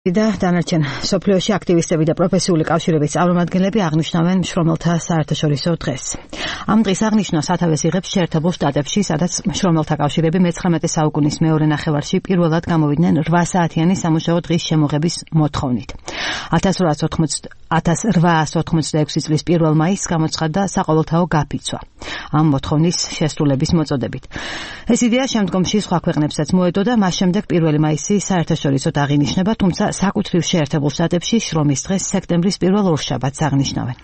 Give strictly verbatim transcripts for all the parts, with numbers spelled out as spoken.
და დანარჩენ სოფლიოში აქტივისტები და პროფესიული კავშირების წარმომადგენლები აღნიშნავენ მშრომელთა საერთაშორისო დღეს. Ამ დღის აღნიშვნა სათავეს იღებს შეერთებულ შტატებში, სადაც მშრომელთა კავშირები მეცხრამეტე საუკუნის მეორე ნახევარში პირველად გამოვიდნენ რვა საათიანი სამუშაო დღის შემოღების მოთხოვნით. ათას რვაას ოთხმოცდაექვსი წლის პირველ მაისს გამოცხადდა საყოველთაო გაფიცვა ამ მოთხოვნის შესრულების მოწოდებით. ეს იდეა შემდგომში სხვა ქვეყნებსაც მოედო და მას შემდეგ პირველი მაისი საერთაშორისოდ აღინიშნება, თუმცა საკუთრივ შეერთებულ შტატებში შრომის დღეს სექტემბრის პირველ ორშაბათს აღნიშნავენ.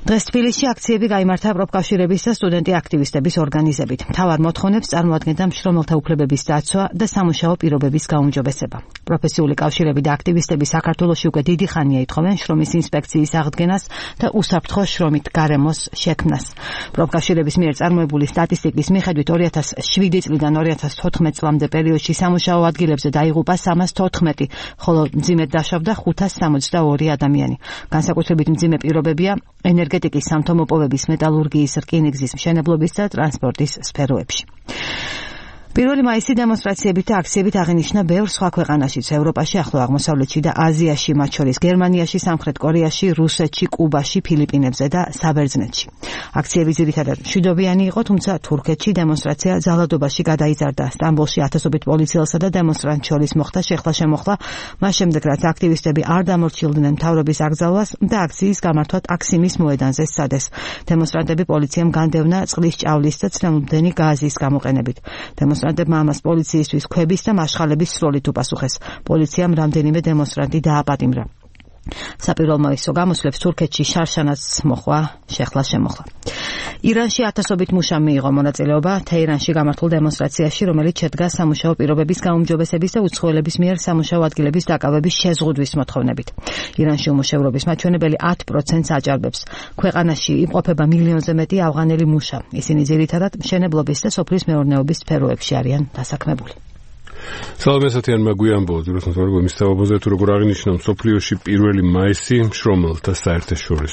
დღეს თბილისში აქციები გაიმართა პროფკავშირების და სტუდენტი აქტივისტების ორგანიზებით. მთავარ მოთხოვნებს წარმოადგენდა მშრომელთა უფლებების დაცვა და სამუშაო პირობების გაუმჯობესება. პროფესიული კავშირები და აქტივისტები საქართველოში უკვე დიდი ხანია ითხოვენ შრომის ინსპექციის აღდგენას და უსაფრთხო შრომით გარემოს შექმნას. პროფკავშირების მიერ წარმოებული სტატისტიკის მიხედვით ორი ათას შვიდი წლიდან ორი ათას თოთხმეტ წლამდე პერიოდში სამუშაო ადგილებზე დაიღუპა სამას თოთხმეტი, ხოლო მძიმედ დაშავდა ხუთას სამოცდაორი ადამიანი. განსაკუთრებით მძიმე პირობებია ენერგეტიკის, სამთო-მოპოვების, მეტალურგიის, რკინიგზის, მშენებლობის და ტრანსპორტის სფეროებში. პირველი მაისი დემონსტრაციებით და აქციებით აღინიშნა ბევრ სხვა ქვეყანაშიც, ევროპაში, ახლო აღმოსავლეთში და აზიაში, მათ შორის გერმანიაში, სამხრეთ კორეაში, რუსეთში, კუბაში, ფილიპინებზე და საბერძნეთში. აქციები ძირითადად მშვიდობიანი იყო, თუმცა თურქეთში დემონსტრაცია ძალადობაში გადაიზარდა. სტამბოლში ათასობით პოლიციელსა და დემონსტრანტს შორის მოხდა შეხლა-შემოხლა, მას შემდეგ რაც აქტივისტები არ დამორჩილდნენ მთავრობის აკრძალვას და აქციის გამართვა ტაქსიმის მოედანზე სცადეს. დემონსტრანტები პოლიციამ განდევნა წყლის ჭავლის და ცრემლმდენი გაზის გამოყენებით. დემონსტრანტებმა ამას პოლიციისთვის ქვების და მაშხალების სროლით უპასუხეს. პოლიციამ რამდენიმე დემონსტრანტი დააპატიმრა. საპირველო მოისო გამოსვლებს თურქეთში შარშანაც მოხვა შეხლა-შემოხლა. ირანში ათასობით მუშა მიიღო მონაწილეობა თეირანში გამართულ დემონსტრაციაში, რომელიც შედგა სამუშაო პირობების გაუმჯობესების და უცხოელების მიერ სამუშაო ადგილების დაკავების შეზღუდვის მოთხოვნებით. ირანში უმუშევრობის მაჩვენებელი ათ პროცენტს აჭარბებს. ქვეყანაში იმყოფება მილიონზე მეტი ავღანელი მუშა. ისინი ძირითადად მშენებლობის და სოფლის მეურნეობის სფეროებში არიან დასაქმებული. სალამესათიან მაგვიანბო ძირითადად მისთავობაზე თუ როგორ აღინიშნა მსოფლიოში პირველი მაისი მშრომელთა საერთაშორისო